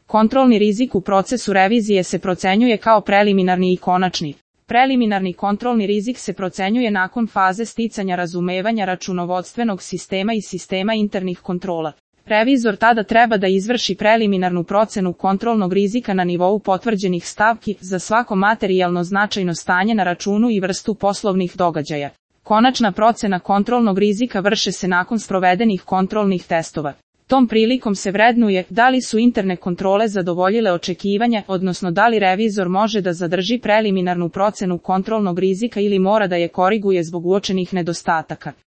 Kontrolni rizik u procesu revizije se procenjuje kao preliminarni i konačni. Preliminarni kontrolni rizik se procenjuje nakon faze sticanja razumevanja računovodstvenog sistema i sistema internih kontrola. Revizor tada treba da izvrši preliminarnu procenu kontrolnog rizika na nivou potvrđenih stavki za svako materijalno značajno stanje na računu i vrstu poslovnih događaja. Konačna procena kontrolnog rizika vrše se nakon sprovedenih kontrolnih testova. Tom prilikom se vrednuje da li su interne kontrole zadovoljile očekivanja, odnosno da li revizor može da zadrži preliminarnu procenu kontrolnog rizika ili mora da je koriguje zbog uočenih nedostataka.